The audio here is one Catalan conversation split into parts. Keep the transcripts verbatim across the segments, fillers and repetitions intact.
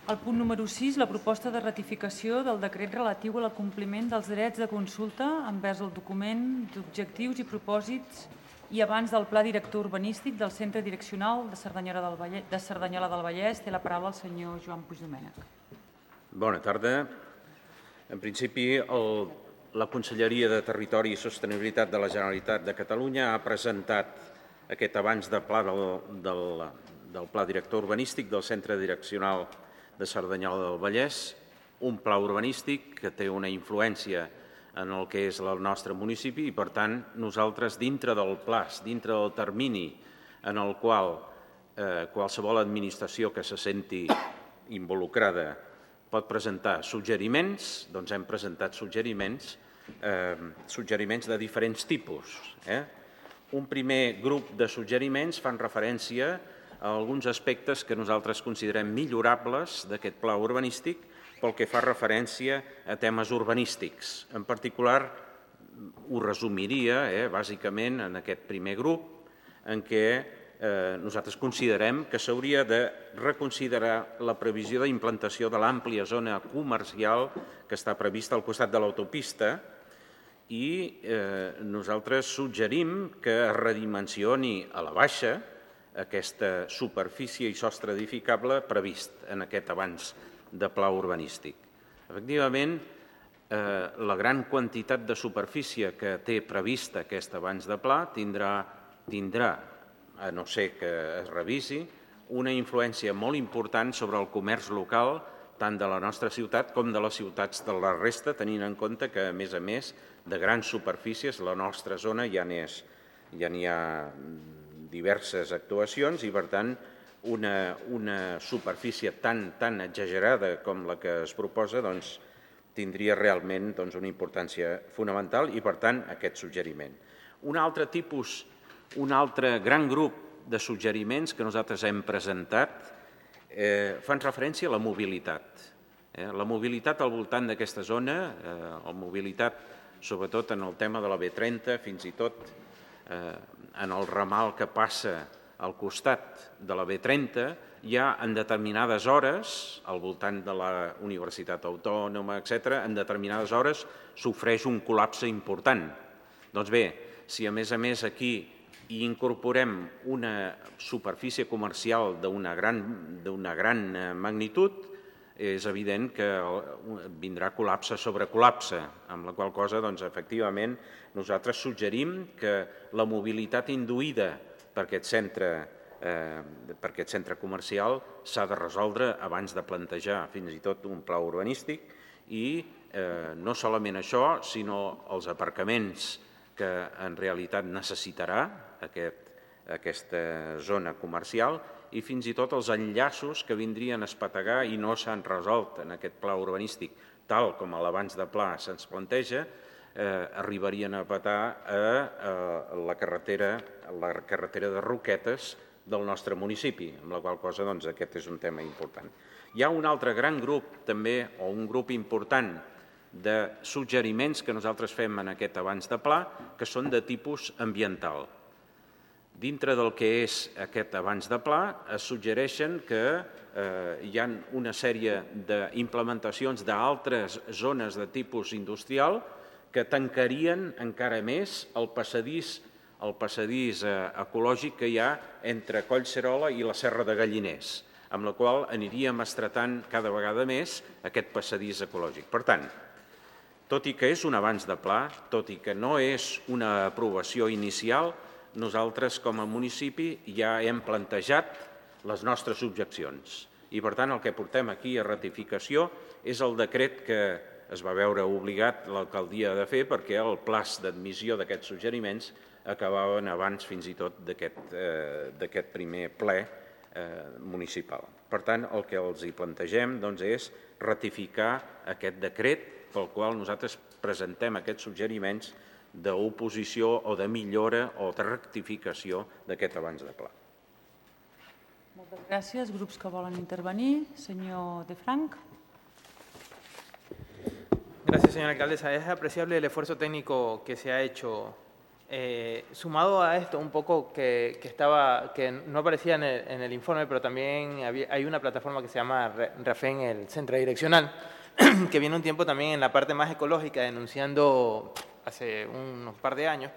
El punt número sis, la proposta de ratificació del decret relatiu al compliment dels drets de consulta envers el document d'objectius i propòsits i abans del Pla Director Urbanístic del Centre Direccional de Cerdanyola del Vallès. De Cerdanyola del Vallès. Té la paraula el senyor Joan Puigdomènech. Bona tarda. En principi, el, la Conselleria de Territori i Sostenibilitat de la Generalitat de Catalunya ha presentat aquest abans de pla del, del, del Pla Director Urbanístic del Centre Direccional de Cerdanyola del Vallès, un pla urbanístic que té una influència en el que és el nostre municipi i, per tant, nosaltres, dintre del plaç, dintre del termini en el qual eh, qualsevol administració que se senti involucrada pot presentar suggeriments, doncs hem presentat suggeriments, eh, suggeriments de diferents tipus. Eh? Un primer grup de suggeriments fan referència a alguns aspectes que nosaltres considerem millorables d'aquest pla urbanístic pel que fa referència a temes urbanístics. En particular, ho resumiria, eh, bàsicament, en aquest primer grup, en què eh, nosaltres considerem que s'hauria de reconsiderar la previsió d'implantació de l'àmplia zona comercial que està prevista al costat de l'autopista i eh, nosaltres suggerim que es redimensioni a la baixa aquesta superfície i sostre edificable previst en aquest abans de pla urbanístic. Efectivament, eh, la gran quantitat de superfície que té prevista aquest abans de pla tindrà, tindrà, a no ser que es revisi, una influència molt important sobre el comerç local tant de la nostra ciutat com de les ciutats de la resta, tenint en compte que, a més a més, de grans superfícies, la nostra zona ja n'hi ja n'hi ha diverses actuacions i, per tant, una, una superfície tan, tan exagerada com la que es proposa doncs, tindria realment doncs, una importància fonamental i, per tant, aquest suggeriment. Un altre tipus, un altre gran grup de suggeriments que nosaltres hem presentat eh, fan referència a la mobilitat. Eh, la mobilitat al voltant d'aquesta zona, eh, la mobilitat sobretot en el tema de la B trenta, fins i tot eh, en el ramal que passa al costat de la B trenta, ja en determinades hores, al voltant de la Universitat Autònoma, etcètera, en determinades hores sofreix un col·lapse important. Doncs bé, si a més a més aquí hi incorporem una superfície comercial d'una gran, d'una gran magnitud, és evident que vindrà col·lapse sobre col·lapse, amb la qual cosa, doncs, efectivament, nosaltres suggerim que la mobilitat induïda per aquest centre, eh, per aquest centre comercial s'ha de resoldre abans de plantejar fins i tot un pla urbanístic i eh, no solament això, sinó els aparcaments que en realitat necessitarà aquest, aquesta zona comercial i fins i tot els enllaços que vindrien a espetegar i no s'han resolt en aquest pla urbanístic, tal com a l'abans de pla se'ns planteja, eh, arribarien a petar a, a la, carretera, a la carretera de Roquetes del nostre municipi, amb la qual cosa doncs, aquest és un tema important. Hi ha un altre gran grup també, o un grup important de suggeriments que nosaltres fem en aquest abans de pla, que són de tipus ambiental. Dintre del que és aquest abans de pla, es suggereixen que eh, hi ha una sèrie d'implementacions d'altres zones de tipus industrial que tancarien encara més el passadís, el passadís eh, ecològic que hi ha entre Collserola i la Serra de Galliners, amb la qual aniríem estretant cada vegada més aquest passadís ecològic. Per tant, tot i que és un abans de pla, tot i que no és una aprovació inicial, nosaltres com a municipi ja hem plantejat les nostres objeccions. I per tant el que portem aquí a ratificació és el decret que es va veure obligat l'alcaldia de fer perquè el plaç d'admissió d'aquests suggeriments acabaven abans fins i tot d'aquest eh, primer ple eh, municipal. Per tant, el que els hi plantegem doncs, és ratificar aquest decret pel qual nosaltres presentem aquests suggeriments d'oposició o de millora o de rectificació d'aquest abans de pla. Moltes gràcies. Grups que volen intervenir. Senyor De Frank. Gracias, señora alcaldesa. Es apreciable el esfuerzo técnico que se ha hecho Eh, sumado a esto, un poco que, que, estaba, que no aparecía en el, en el informe, pero también había, hay una plataforma que se llama RAFEN, el Centro Direccional, que viene un tiempo también en la parte más ecológica, denunciando hace unos par de años,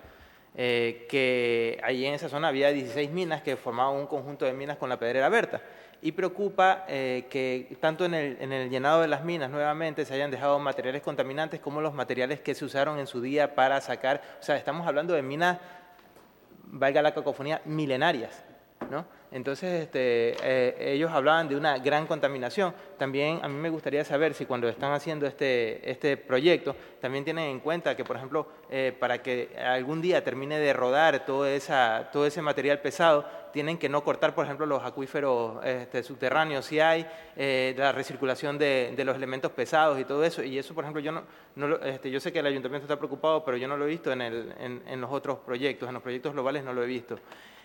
eh, que allí en esa zona había dieciséis minas que formaban un conjunto de minas con la Pedrera Berta. Y preocupa eh, que tanto en el, en el llenado de las minas nuevamente se hayan dejado materiales contaminantes como los materiales que se usaron en su día para sacar, o sea, estamos hablando de minas, valga la cacofonía, milenarias, ¿no? Entonces, este, eh, ellos hablaban de una gran contaminación. También a mí me gustaría saber si cuando están haciendo este, este proyecto, también tienen en cuenta que, por ejemplo, eh, para que algún día termine de rodar todo, esa, todo ese material pesado, tienen que no cortar, por ejemplo, los acuíferos este, subterráneos, si hay eh, la recirculación de, de los elementos pesados y todo eso. Y eso, por ejemplo, yo no, no lo, este, yo sé que el ayuntamiento está preocupado, pero yo no lo he visto en, el, en, en los otros proyectos, en los proyectos globales no lo he visto.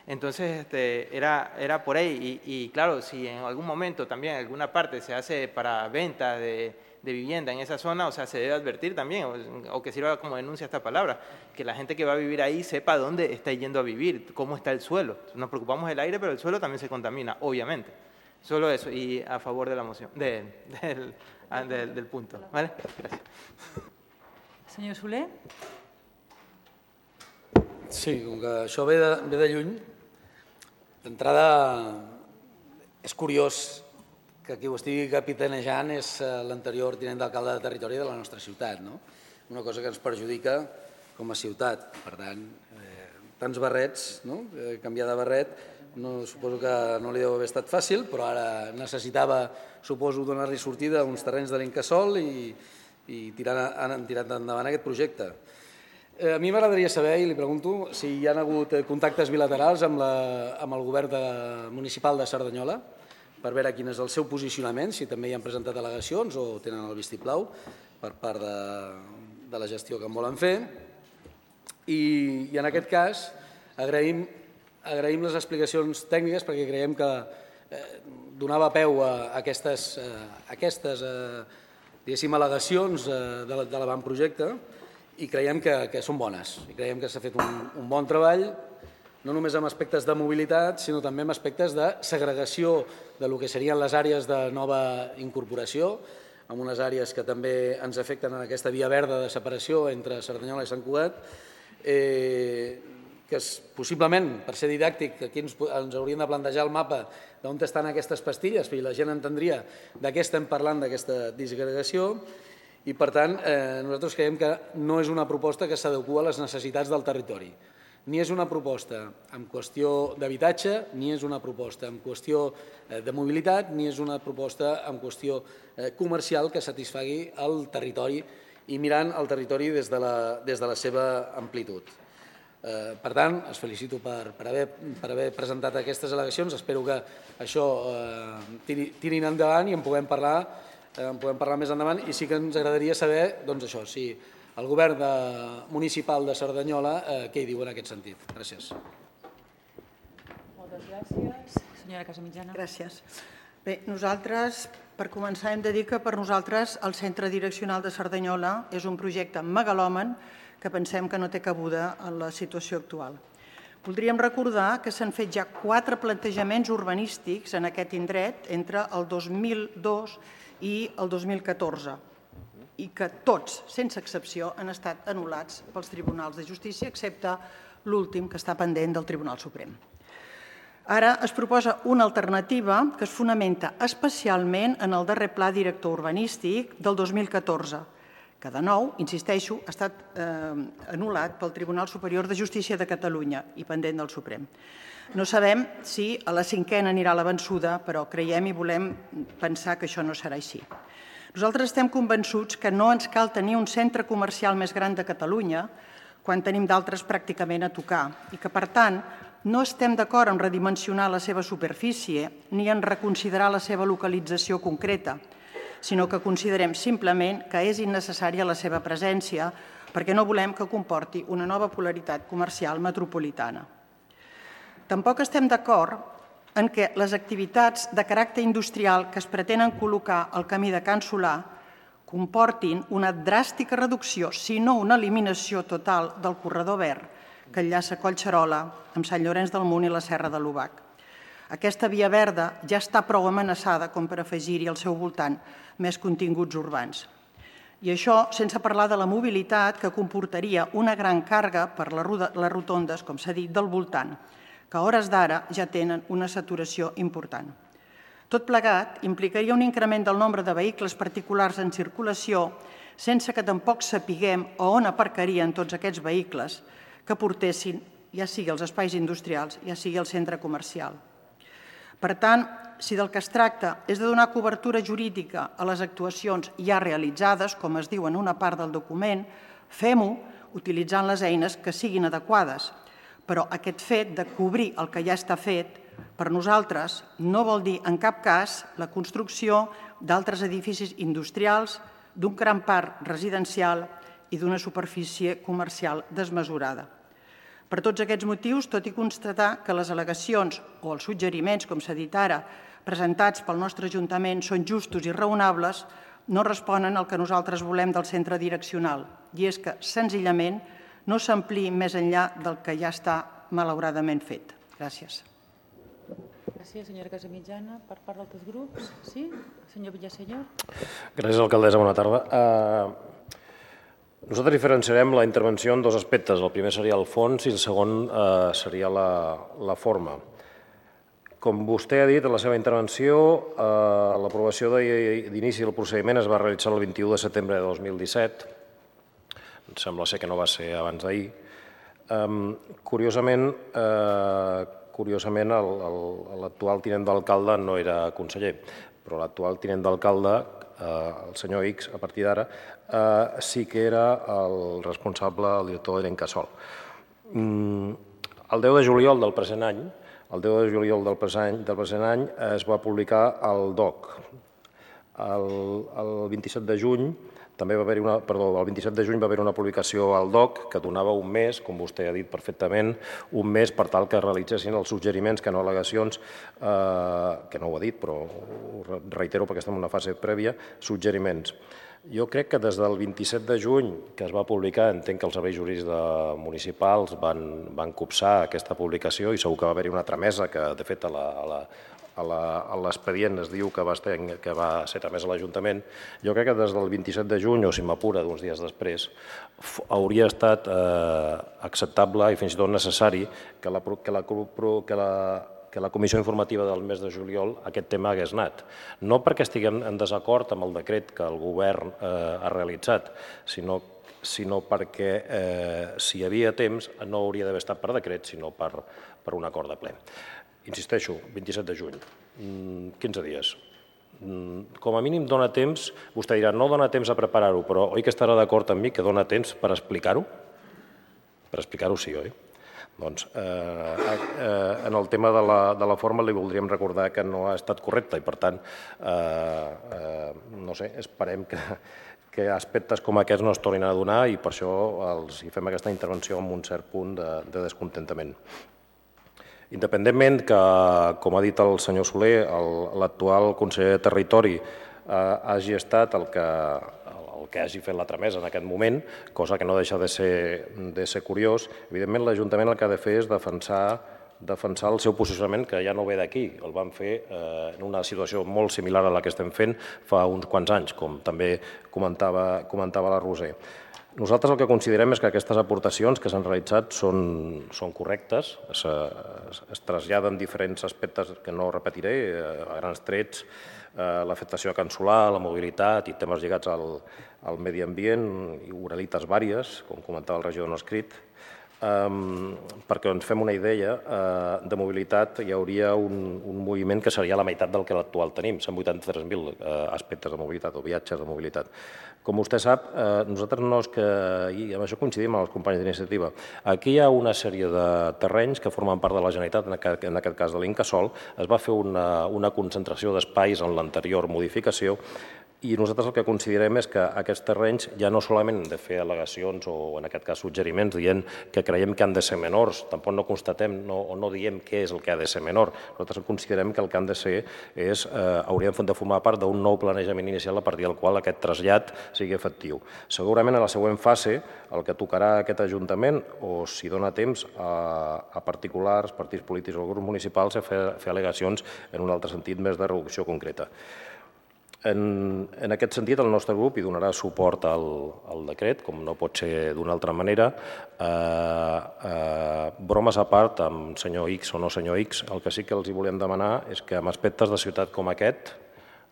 Entonces, este, era, era por ahí. Y, y claro, si en algún momento también en alguna parte se hace para venta de, de vivienda en esa zona, o sea, se debe advertir también, o, o que sirva como denuncia esta palabra, que la gente que va a vivir ahí sepa dónde está yendo a vivir, cómo está el suelo. Nos preocupamos del aire, pero el suelo también se contamina, obviamente. Solo eso, y a favor de la moción, de, del, del, del punto. ¿Vale? Gracias. Senyor Soler? Sí, com que això ve de, ve de lluny, d'entrada és curiós que qui ho estigui capitanejant és l'anterior tinent d'alcalde de territori de la nostra ciutat, no? Una cosa que ens perjudica com a ciutat. Per tant, eh, tants barrets, no? Eh, canviar de barret, no, suposo que no li deu haver estat fàcil, però ara necessitava, suposo, donar-li sortida a uns terrenys de l'Incasòl i, i tirar, han tirat endavant aquest projecte. Eh, a mi m'agradaria saber, i li pregunto, si hi ha hagut contactes bilaterals amb, la, amb el govern de, municipal de Cerdanyola per veure quin és el seu posicionament, si també hi han presentat al·legacions o tenen el vistiplau per part de, de la gestió que en volen fer. I, i en aquest cas agraïm, agraïm les explicacions tècniques perquè creiem que eh, donava peu a aquestes, eh, aquestes eh, diguéssim, al·legacions eh, de, de l'avantprojecte i creiem que, que són bones. I creiem que s'ha fet un, un bon treball, no només amb aspectes de mobilitat, sinó també amb aspectes de segregació de lo que serien les àrees de nova incorporació, amb unes àrees que també ens afecten en aquesta via verda de separació entre Cerdanyola i Sant Cugat, eh, que és, possiblement, per ser didàctic, aquí ens, ens hauríem de plantejar el mapa d'on estan aquestes pastilles, perquè la gent entendria de què estem parlant d'aquesta disgregació, i per tant eh, nosaltres creiem que no és una proposta que s'adequa a les necessitats del territori. Ni és una proposta en qüestió d'habitatge, ni és una proposta en qüestió de mobilitat, ni és una proposta en qüestió comercial que satisfagui el territori i mirant el territori des de la, des de la seva amplitud. Eh, per tant, els felicito per, per, haver, per haver presentat aquestes al·legacions. Espero que això eh, tiri, tirin endavant i en puguem parlar, eh, en puguem parlar més endavant. I sí que ens agradaria saber, doncs això, si el govern de, municipal de Cerdanyola, eh, què hi diu en aquest sentit. Gràcies. Moltes gràcies. Senyora Casamitjana. Gràcies. Bé, nosaltres, per començar, hem de dir que per nosaltres el Centre Direccional de Cerdanyola és un projecte megalòman que pensem que no té cabuda en la situació actual. Voldríem recordar que s'han fet ja quatre plantejaments urbanístics en aquest indret entre el dos mil dos i el dos mil catorze i que tots, sense excepció, han estat anul·lats pels tribunals de justícia, excepte l'últim, que està pendent del Tribunal Suprem. Ara es proposa una alternativa que es fonamenta especialment en el darrer pla director urbanístic del dos mil catorze, que de nou, insisteixo, ha estat eh, anul·lat pel Tribunal Superior de Justícia de Catalunya i pendent del Suprem. No sabem si a la cinquena anirà la vençuda, però creiem i volem pensar que això no serà així. Nosaltres estem convençuts que no ens cal tenir un centre comercial més gran de Catalunya quan tenim d'altres pràcticament a tocar i que, per tant, no estem d'acord en redimensionar la seva superfície ni en reconsiderar la seva localització concreta, sinó que considerem simplement que és innecessària la seva presència perquè no volem que comporti una nova polaritat comercial metropolitana. Tampoc estem d'acord en què les activitats de caràcter industrial que es pretenen col·locar al camí de Can Solà comportin una dràstica reducció, si no una eliminació total, del corredor verd, que enllaça Collserola amb Sant Llorenç del Munt i la Serra de l'Obac. Aquesta via verda ja està prou amenaçada com per afegir-hi al seu voltant més continguts urbans. I això sense parlar de la mobilitat que comportaria una gran càrrega per les rotondes, com s'ha dit, del voltant, que a hores d'ara ja tenen una saturació important. Tot plegat implicaria un increment del nombre de vehicles particulars en circulació sense que tampoc sapiguem on aparcarien tots aquests vehicles que portessin, ja sigui als espais industrials, ja sigui al centre comercial. Per tant, si del que es tracta és de donar cobertura jurídica a les actuacions ja realitzades, com es diu en una part del document, fem-ho utilitzant les eines que siguin adequades. Però aquest fet de cobrir el que ja està fet, per nosaltres no vol dir en cap cas la construcció d'altres edificis industrials, d'un gran parc residencial i d'una superfície comercial desmesurada. Per tots aquests motius, tot i constatar que les al·legacions o els suggeriments, com s'ha dit ara, presentats pel nostre Ajuntament són justos i raonables, no responen al que nosaltres volem del centre direccional, i és que, senzillament, no s'ampliï més enllà del que ja està malauradament fet. Gràcies. Gràcies, senyora Casamitjana. Per part d'altres grups, sí? Senyor Villaseñor. Gràcies, alcaldessa. Bona tarda. Nosaltres diferenciarem la intervenció en dos aspectes. El primer seria el fons i el segon seria la forma. Com vostè ha dit en la seva intervenció, l'aprovació d'inici del procediment es va realitzar el vint-i-u de setembre de dos mil disset. Em sembla ser que no va ser abans d'ahir. Curiosament, Curiosament, l'actual tinent d'alcalde no era conseller, però l'actual tinent d'alcalde, el senyor X, a partir d'ara, sí que era el responsable, el director de l'Encasòl. El deu de juliol del present any, el deu de juliol del present any es va publicar el D O C. El vint-i-set de juny també va haver-hi una, perdó, el vint-i-set de juny va haver una publicació al D O C que donava un mes, com vostè ha dit perfectament, un mes per tal que realitzessin els suggeriments que no al·legacions, que no ho ha dit, però ho reitero perquè estem en una fase prèvia, suggeriments. Jo crec que des del vint-i-set de juny que es va publicar, entenc que els serveis jurídics municipals van copsar aquesta publicació i segur que va haver-hi una tramesa que, de fet, a la a l'expedient es diu que va ser tramès a l'Ajuntament. Jo crec que des del vint-i-set de juny, o si m'apura d'uns dies després, hauria estat acceptable i fins i tot necessari que la que la comissió informativa del mes de juliol aquest tema hagués anat. No perquè estiguem en desacord amb el decret que el govern ha realitzat, sinó sinó perquè si hi havia temps no hauria d'haver estat per decret, sinó per un acord de ple. Insisteixo, vint-i-set de juny, quinze dies. Com a mínim dona temps, vostè dirà, no dona temps a preparar-ho, però oi que estarà d'acord amb mi que dona temps per explicar-ho? Per explicar-ho sí, oi? Doncs en el tema de la forma li voldríem recordar que no ha estat correcte i per tant, no sé, esperem que aspectes com aquests no es tornin a donar i per això els fem aquesta intervenció amb un cert punt de descontentament. Independentment que, com ha dit el senyor Soler, l'actual conseller de Territori hagi estat el que hagi fet la tramesa en aquest moment, cosa que no deixa de ser curiós, evidentment l'Ajuntament el que ha de fer és defensar el seu posicionament, que ja no ve d'aquí, el van fer en una situació molt similar a la que estem fent fa uns quants anys, com també comentava la Roser. Nosaltres el que considerem és que aquestes aportacions que s'han realitzat són correctes, es traslladen diferents aspectes que no repetiré, a grans trets, l'afectació a Can Solà, la mobilitat i temes lligats al medi ambient i oralites vàries, com comentava el regidor no escrit. Perquè ens fem una idea, de mobilitat hi hauria un moviment que seria la meitat del que l'actual tenim, cent vuitanta-tres mil aspectes de mobilitat o viatges de mobilitat. Com vostè sap, nosaltres no és que, i amb això coincidim amb els companys d'iniciativa, aquí hi ha una sèrie de terrenys que formen part de la Generalitat, en aquest cas de l'Incasòl, es va fer una concentració d'espais en l'anterior modificació I nosaltres el que considerem és que aquests terrenys ja no solament hem de fer al·legacions o, en aquest cas, suggeriments dient que creiem que han de ser menors, tampoc no constatem no, o no diem què és el que ha de ser menor. Nosaltres considerem que el que han de ser és, eh, haurien de formar part d'un nou planejament inicial a partir del qual aquest trasllat sigui efectiu. Segurament a la següent fase el que tocarà aquest Ajuntament, o si dona temps a, a particulars, partits polítics o grups municipals, a fer, fer al·legacions en un altre sentit més de reducció concreta. En, en aquest sentit, el nostre grup hi donarà suport al, al decret, com no pot ser d'una altra manera. Eh, eh, bromes a part, amb senyor X o no senyor X, el que sí que els hi volem demanar és que en aspectes de ciutat com aquest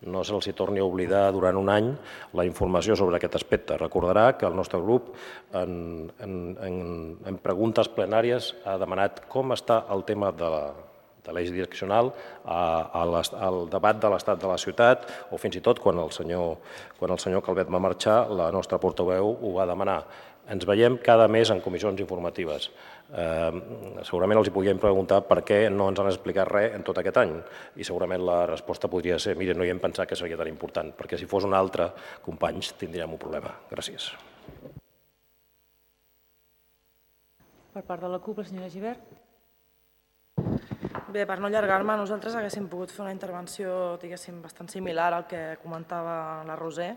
no se'ls torni a oblidar durant un any la informació sobre aquest aspecte. Recordarà que el nostre grup en, en, en, en preguntes plenàries ha demanat com està el tema de la de l'eix direccional, al debat de l'estat de la ciutat, o fins i tot quan el senyor, quan el senyor Calvet va marxar, la nostra portaveu ho va demanar. Ens veiem cada mes en comissions informatives. Eh, segurament els hi podríem preguntar per què no ens han explicat res en tot aquest any, i segurament la resposta podria ser mira, no hi hem pensat que seria tan important, perquè si fos un altre, companys, tindríem un problema. Gràcies. Per part de la CUP, la senyora Gibert. Bé, per no allargar-me, nosaltres haguéssim pogut fer una intervenció, diguéssim, bastant similar al que comentava la Roser.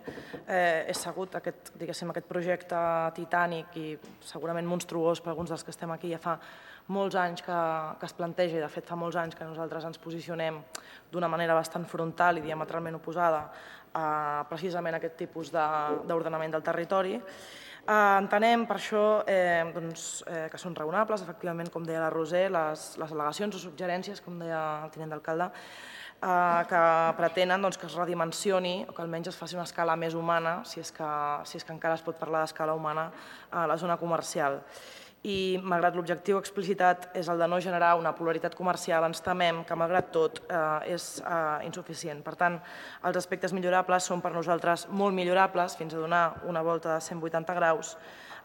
Eh, és segut aquest, diguéssim, aquest projecte titànic i segurament monstruós per alguns dels que estem aquí ja fa molts anys que, que es planteja, i de fet fa molts anys que nosaltres ens posicionem d'una manera bastant frontal i diametralment oposada a precisament aquest tipus d'ordenament del territori. Eh, entenem per això eh, doncs, eh, que són raonables, efectivament, com deia la Roser, les, les al·legacions o suggerències, com deia el tinent d'alcalde, eh, que pretenen doncs, que es redimensioni o que almenys es faci una escala més humana, si és que, si és que encara es pot parlar d'escala humana, a la zona comercial. I, malgrat l'objectiu explicitat és el de no generar una polaritat comercial, ens temem que, malgrat tot, eh, és eh, insuficient. Per tant, els aspectes millorables són per nosaltres molt millorables, fins a donar una volta de cent vuitanta graus.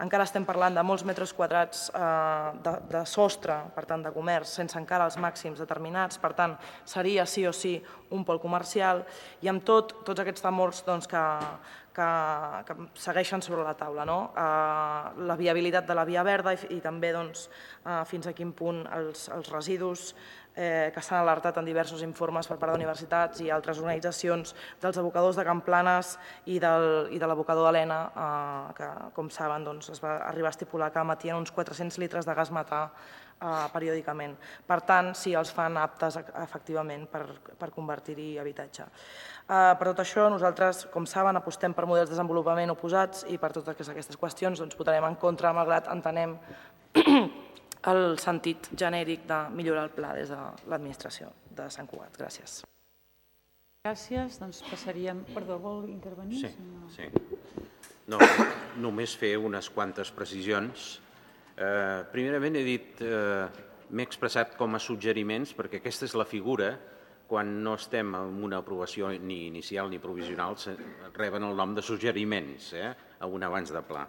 Encara estem parlant de molts metres quadrats eh, de, de sostre, per tant, de comerç, sense encara els màxims determinats. Per tant, seria sí o sí un pol comercial, i amb tot, tots aquests temors doncs, que, que, que segueixen sobre la taula. No? Eh, la viabilitat de la via verda i, i també doncs, eh, fins a quin punt els, els residus eh, que s'han alertat en diversos informes per part d'universitats i altres organitzacions dels abocadors de Camplanes i, del, i de l'abocador d'Helena, eh, que, com saben, doncs, es va arribar a estipular que emetien uns quatre-cents litres de gas metà eh, periòdicament. Per tant, sí, els fan aptes efectivament per, per convertir-hi habitatge. Eh, per tot això, nosaltres, com saben, apostem per models de desenvolupament oposats i per totes aquestes qüestions doncs, votarem en contra, malgrat entenem el sentit genèric de millorar el pla des de l'administració de Sant Cugat. Gràcies. Gràcies. Doncs passaríem... Perdó, vol intervenir? Sí, sí. No, només fer unes quantes precisions. Eh, primerament he dit, eh, m'he expressat com a suggeriments, perquè aquesta és la figura, quan no estem en una aprovació ni inicial ni provisional, reben el nom de suggeriments, eh, a un abans de pla.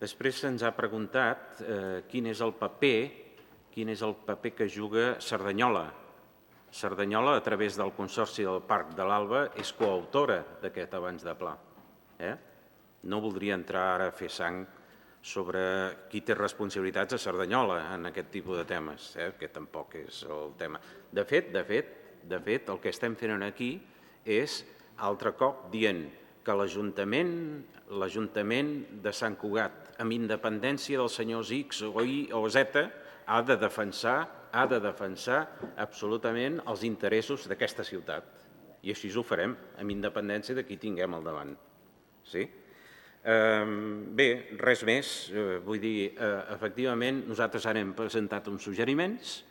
Després se'ns ha preguntat eh, quin és el paper, quin és el paper que juga Cerdanyola. Cerdanyola, a través del Consorci del Parc de l'Alba, és coautora d'aquest abans de pla. Eh? No voldria entrar ara a fer sang sobre qui té responsabilitats a Cerdanyola en aquest tipus de temes, eh? que tampoc és el tema. De fet, de fet, de fet, el que estem fent aquí és, altre cop, dient que l'Ajuntament l'Ajuntament de Sant Cugat, amb independència dels senyors X o Y o Z, ha de defensar, ha de defensar absolutament els interessos d'aquesta ciutat. I així ho farem, amb independència de qui tinguem al davant. Sí? Eh, bé, res més. Eh, vull dir, eh, efectivament, nosaltres ara hem presentat uns suggeriments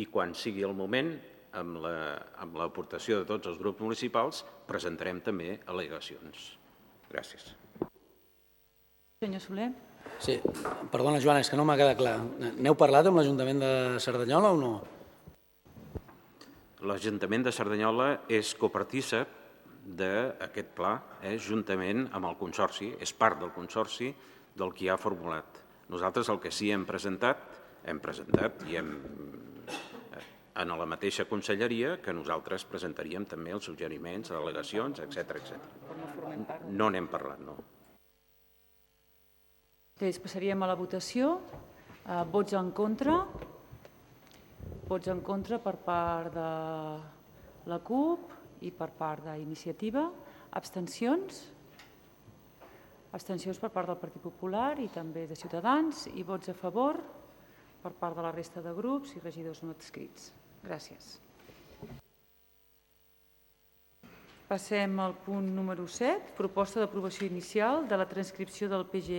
i quan sigui el moment, amb l'aportació de tots els grups municipals, presentarem també al·legacions. Gràcies. Senyor Soler. Sí, perdona, Joan, és que no m'ha quedat clar. N'heu parlat amb l'Ajuntament de Cerdanyola o no? L'Ajuntament de Cerdanyola és copartícip d'aquest pla, eh, juntament amb el Consorci, és part del Consorci del que ha formulat. Nosaltres el que sí hem presentat, hem presentat i hem en la mateixa conselleria que nosaltres presentaríem també els suggeriments, al·legacions, etcètera, etcètera. No n'hem parlat, no. Després passaríem a la votació. Eh, vots en contra. Vots en contra per part de la CUP i per part d'Iniciativa. Abstencions. Abstencions per part del Partit Popular i també de Ciutadans i vots a favor per part de la resta de grups i regidors no adscrits. Gràcies. Passem al punt número set, proposta d'aprovació inicial de la transcripció del P G